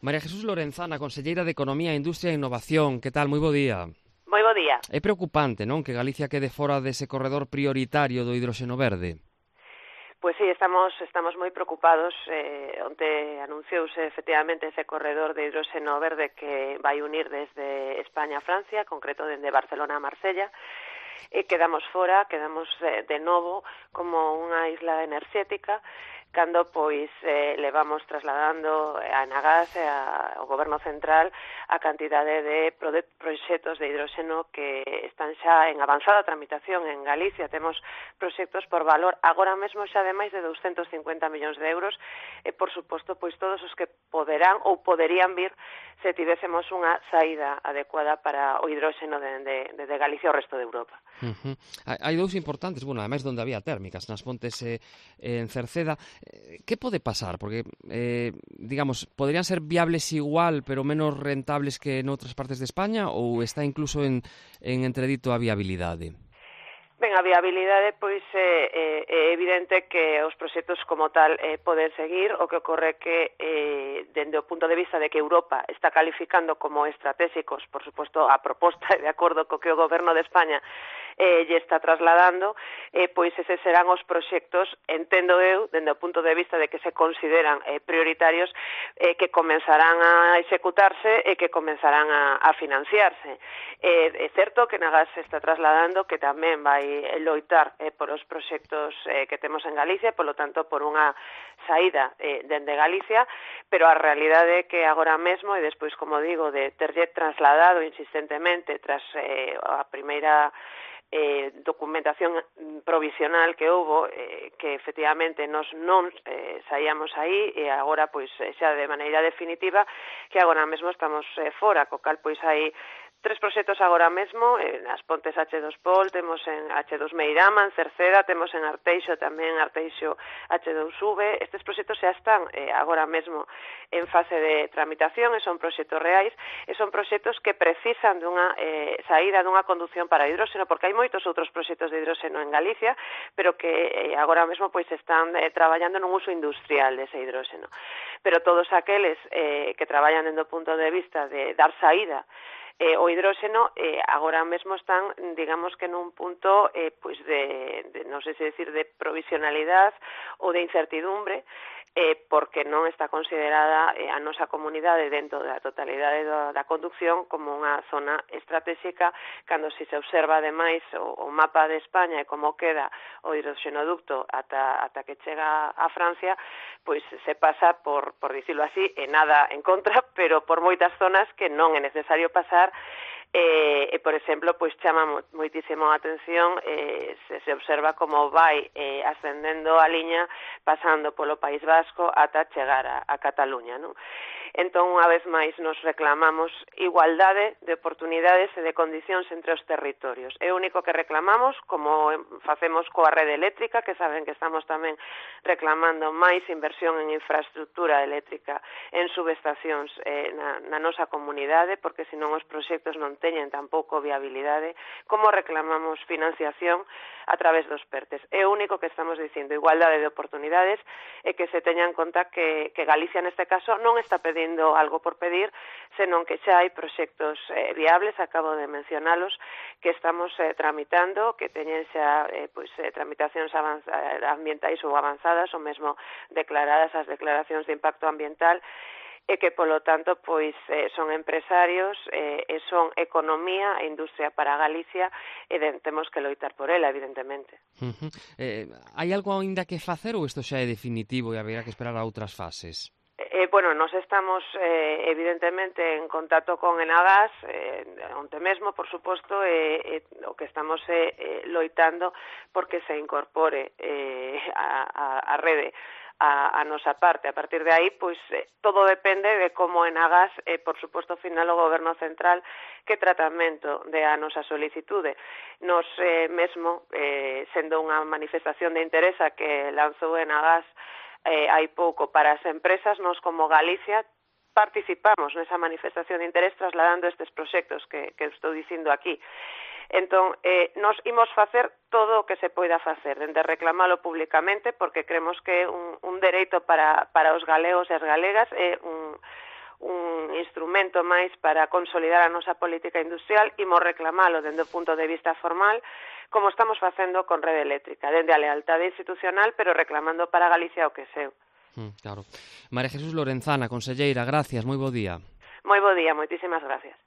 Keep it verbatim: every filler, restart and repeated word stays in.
María Jesús Lorenzana, conselleira de Economía, Industria e Innovación. Que tal? Moi bo día. Moi bo día. É preocupante, non, que Galicia quede fora dese corredor prioritario do hidróxeno verde? Pois sí, estamos estamos moi preocupados. Eh, onte anunciouse efectivamente ese corredor de hidróxeno verde que vai unir desde España a Francia, concreto dende Barcelona a Marsella, e quedamos fora, quedamos eh, de novo como unha isla enerxética, cando pois eh, levamos trasladando a Enagás e ao Goberno Central a cantidade de proxectos de hidróxeno que están xa en avanzada tramitación en Galicia. Temos proxectos por valor agora mesmo xa de máis de doscientos cincuenta millóns de euros e, por suposto, pois todos os que poderán ou poderían vir se tivésemos unha saída adecuada para o hidróxeno de, de, de Galicia ao resto de Europa. Uh-huh. Hai dous importantes, bueno, ademais donde había térmicas, nas Pontes e eh, en Cerceda. Eh, que pode pasar? Porque, eh, digamos, poderían ser viables igual, pero menos rentables que en outras partes de España, ou está incluso en, en entredito a viabilidade? Ben, a viabilidade, pois, é, é evidente que os proxectos como tal eh, poden seguir. O que ocorre que, eh, dende o punto de vista de que Europa está calificando como estratégicos, por suposto, a proposta e de acordo co que o Goberno de España eh, lle está trasladando, eh, pois eses serán os proxectos, entendo eu, dende o punto de vista de que se consideran eh, prioritarios, eh, que comenzarán a executarse e que comenzarán a, a financiarse. Eh, é certo que Enagás se está trasladando que tamén vai loitar eh, por os proxectos eh, que temos en Galicia, polo tanto, por unha saída eh, dende Galicia, pero a realidade é que agora mesmo, e despois, como digo, de terlle trasladado insistentemente tras eh, a primeira eh, documentación provisional que houbo, eh, que efectivamente nos non eh, saíamos aí, e agora, pois, xa de maneira definitiva, que agora mesmo estamos eh, fora, co cal, pois, hai tres proxectos agora mesmo, en as Pontes hache dos Pol, temos en hache dos Meirama, en Cerceda, temos en Arteixo tamén Arteixo hache dos V. Estes proxectos xa están eh, agora mesmo en fase de tramitación e son proxectos reais e son proxectos que precisan dunha eh, saída dunha conducción para hidróxeno, porque hai moitos outros proxectos de hidróxeno en Galicia, pero que eh, agora mesmo pois están eh, traballando nun uso industrial dese hidróxeno. Pero todos aqueles eh, que traballan dentro do punto de vista de dar saída Eh, o hidróxeno eh, agora mesmo están, digamos que nun punto eh, pois de, de, non sei se decir, de provisionalidade ou de incertidumbre, eh, porque non está considerada eh, a nosa comunidade dentro da totalidade da, da conducción como unha zona estratégica, cando se se observa ademais o, o mapa de España e como queda o hidroxenoducto ata, ata que chega a Francia, pois se pasa por, por dicirlo así, e nada en contra, pero por moitas zonas que non é necesario pasar. E, e por exemplo, pois chama moitísimo a atención, eh, se, se observa como vai eh, ascendendo a liña, pasando polo País Vasco ata chegar a, a Cataluña, non? Entón, unha vez máis, nos reclamamos igualdade de oportunidades e de condicións entre os territorios. É o único que reclamamos, como facemos coa rede eléctrica, que saben que estamos tamén reclamando máis inversión en infraestructura eléctrica, en subestacións eh, na, na nosa comunidade, porque senón os proxectos non teñen tampouco viabilidade, como reclamamos financiación a través dos PERTES. É o único que estamos dicindo, igualdade de oportunidades, e que se teña en conta que, que Galicia neste caso non está pedindo algo por pedir, senón que xa hai proxectos eh, viables, acabo de mencionalos, que estamos eh, tramitando, que teñen xa eh, pois, eh, tramitacións ambientais ou avanzadas, ou mesmo declaradas as declaracións de impacto ambiental, e que, polo tanto, pois eh, son empresarios eh, e son economía e industria para Galicia, e de, temos que loitar por ela, evidentemente. Uh-huh. Eh, hai algo ainda que facer ou isto xa é definitivo e haberá que esperar a outras fases? Eh, bueno, nos estamos eh, evidentemente en contacto con Enagás, eh, onte mesmo, por suposto, e eh, eh, o que estamos eh, eh, loitando porque se incorpore eh, a, a, a rede a, a nosa parte. A partir de aí, pois, eh, todo depende de como Enagás, eh, por suposto, final o Goberno Central, que tratamento de a nosa solicitude. Nos eh, mesmo, eh, sendo unha manifestación de interesa que lanzou Enagás Eh, hai pouco para as empresas, nos como Galicia participamos nesa manifestación de interés trasladando estes proxectos que, que estou dicindo aquí. Entón, eh, nos imos facer todo o que se poida facer, dende reclamalo públicamente, porque creemos que é un, un dereito para, para os galegos e as galegas, é un, un instrumento máis para consolidar a nosa política industrial, imos reclamalo dende o punto de vista formal, como estamos facendo con Rede Eléctrica, dende a lealtade institucional, pero reclamando para Galicia o que é seu. Mm, claro. María Jesús Lorenzana, conselleira, gracias, moi bo día. Moi bo día, moitísimas gracias.